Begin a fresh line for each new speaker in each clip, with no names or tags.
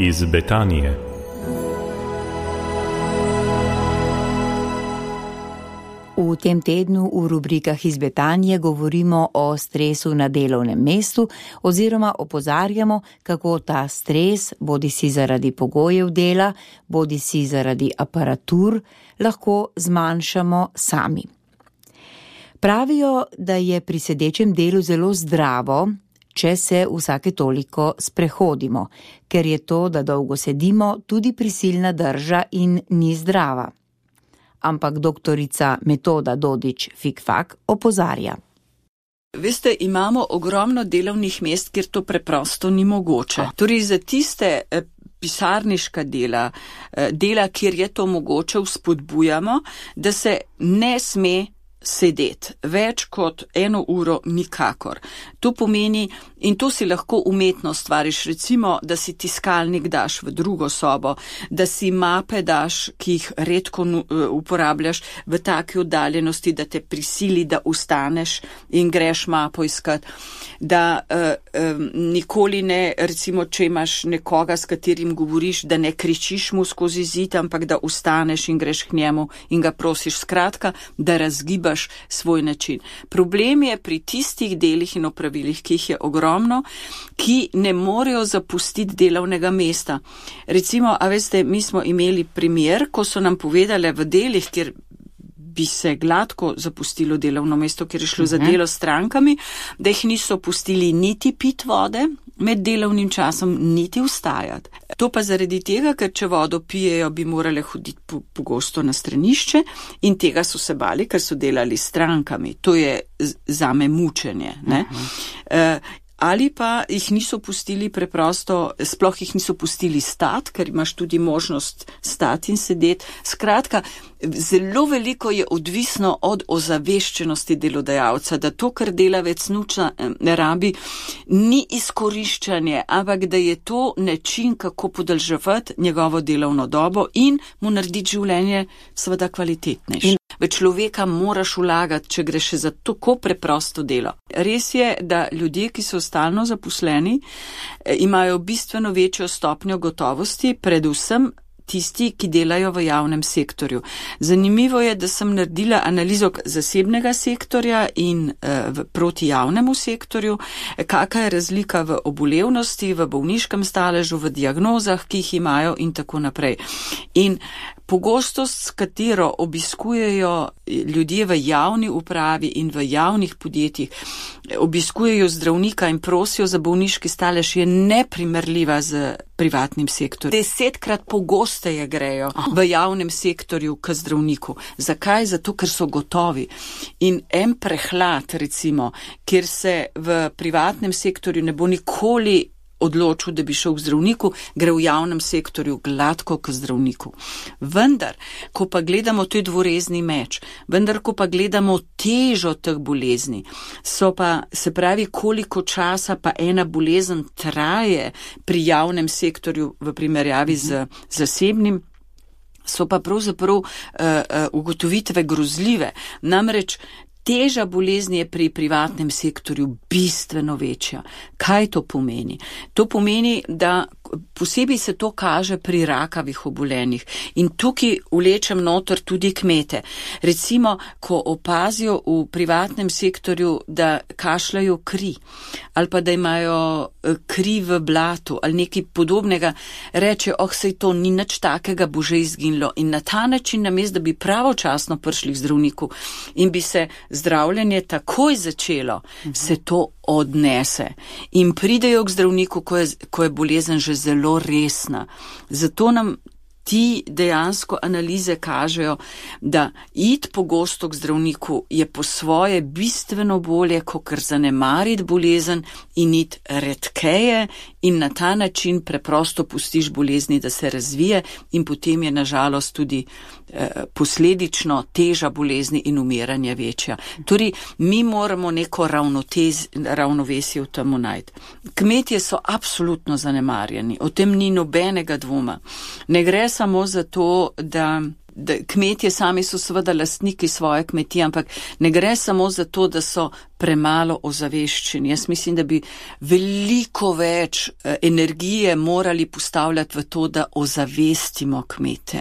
iz Betanije.
V tem tednu v rubrikah iz Betanije govorimo o stresu na delovnem mestu oziroma opozarjamo, kako ta stres, bodisi zaradi pogojev dela, bodisi zaradi aparatur, lahko zmanjšamo sami. Pravijo, da je pri sedečem delu zelo zdravo, če se vsake toliko sprehodimo, ker je to, da dolgo sedimo, tudi prisilna drža in ni zdrava. Ampak doktorica Metoda Dodič-Fikfak opozarja.
Veste, imamo ogromno delovnih mest, kjer to preprosto ni mogoče. Torej za tiste pisarniška dela, kjer je to mogoče, vzpodbujamo, da se ne sme sedeti več kot 1 uro nikakor. To pomeni, in to si lahko umetno stvariš, recimo, da si tiskalnik daš v drugo sobo, da si mape daš, ki jih redko uporabljaš, v taki oddaljenosti, da te prisili, da ustaneš in greš mapo iskat, da nikoli ne, recimo, če imaš nekoga, s katerim govoriš, da ne kričiš mu skozi zid, ampak da ustaneš in greš k njemu in ga prosiš, skratka, da razgibaš svoj način. Problem je pri tistih delih in opravilih, ki jih je ogromno, ki ne morejo zapustiti delovnega mesta. Recimo, a veste, mi smo imeli primer, ko so nam povedale v delih, kjer bi se gladko zapustilo delovno mesto, ker je šlo za delo s strankami, da jih niso pustili niti pit vode med delovnim časom, niti vstajati. To pa zaradi tega, ker če vodo pijejo, bi morale hoditi pogosto na stranišče in tega so se bali, ker so delali s strankami. To je zame mučenje, ne? Ali pa jih niso pustili preprosto, sploh jih niso pustili stati, ker imaš tudi možnost stati in sedeti. Skratka, zelo veliko je odvisno od ozaveščenosti delodajalca, da to, kar delavec ne rabi, ni izkoriščanje, ampak da je to način, kako podaljševati njegovo delovno dobo in mu narediti življenje seveda kvalitetnejše. V človeka moraš vlagati, če gre še za tako preprosto delo. Res je, da ljudje, ki so stalno zaposleni, imajo bistveno večjo stopnjo gotovosti, predvsem tisti, ki delajo v javnem sektorju. Zanimivo je, da sem naredila analizo zasebnega sektorja in proti javnemu sektorju, kakšna je razlika v obolevnosti, v bolniškem staležu, v diagnozah, ki jih imajo in tako naprej. In pogostost, s katero obiskujejo ljudje v javni upravi in v javnih podjetjih, obiskujejo zdravnika in prosijo za bolniški stalež, je neprimerljiva z privatnim sektorjem. 10-krat pogosteje grejo v javnem sektorju k zdravniku. Zakaj? Zato, ker so gotovi. In en prehlad, recimo, kjer se v privatnem sektorju ne bo nikoli odločil, da bi šel k zdravniku, gre v javnem sektorju gladko k zdravniku. Vendar, ko pa gledamo, to je dvorezni meč, vendar, ko pa gledamo težo teh bolezni, so pa, se pravi, koliko časa pa ena bolezen traje pri javnem sektorju v primerjavi z zasebnim, so pa pravzaprav ugotovitve grozljive. Namreč, teža bolezni je pri privatnem sektorju bistveno večja. Kaj to pomeni? To pomeni, da posebej se to kaže pri rakavih obolenjih. In tukaj vlečem noter tudi kmete. Recimo, ko opazijo v privatnem sektorju, da kašljajo kri, ali pa da imajo kri v blatu, ali nekaj podobnega, reče, sej to ni nič takega, bo že izginilo. In na ta način, namesto da bi pravočasno prišli k zdravniku in bi se zdravljenje takoj začelo, se to odnese. In pridejo k zdravniku, ko je bolezen že zelo resna. Zato nam ti dejansko analize kažejo, da iti pogosto k zdravniku je po svoje bistveno bolje, kakor zanemariti bolezen in iti redkeje in na ta način preprosto pustiš bolezni, da se razvije in potem je na žalost tudi posledično teža bolezni in umiranje večja. Torej, mi moramo neko ravnovesje v temu najti. Kmetje so absolutno zanemarjeni, o tem ni nobenega dvoma. Ne gre samo za to, da Kmetje sami so seveda lastniki svoje kmetije, ampak ne gre samo za to, da so premalo ozaveščeni. Jaz mislim, da bi veliko več energije morali postavljati v to, da ozavestimo kmete.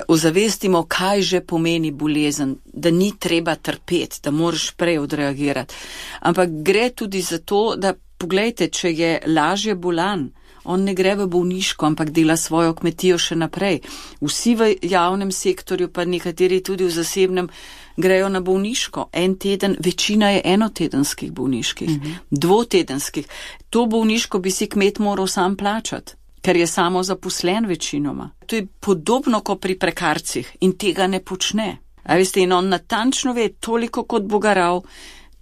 Ozavestimo, kaj že pomeni bolezen, da ni treba trpeti, da moraš prej odreagirati. Ampak gre tudi za to, da poglejte, če je lažje bolan, on ne gre v bolniško, ampak dela svojo kmetijo še naprej. Vsi v javnem sektorju, pa nekateri tudi v zasebnem, grejo na bolniško. En teden, večina je enotedenskih bolniških, dvotedenskih. To bolniško bi si kmet moral sam plačati, ker je samo zaposlen večinoma. To je podobno kot pri prekarcih in tega ne počne. A veste, in on natančno ve, toliko kot bo garal,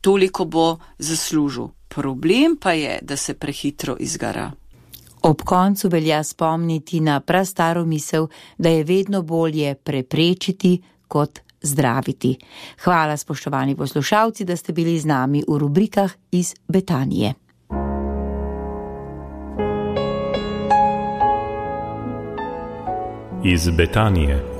toliko bo zaslužil. Problem pa je, da se prehitro izgara.
Ob koncu velja spomniti na prastaro misel, da je vedno bolje preprečiti kot zdraviti. Hvala, spoštovani poslušalci, da ste bili z nami v rubrikah iz Betanije.
Iz Betanije.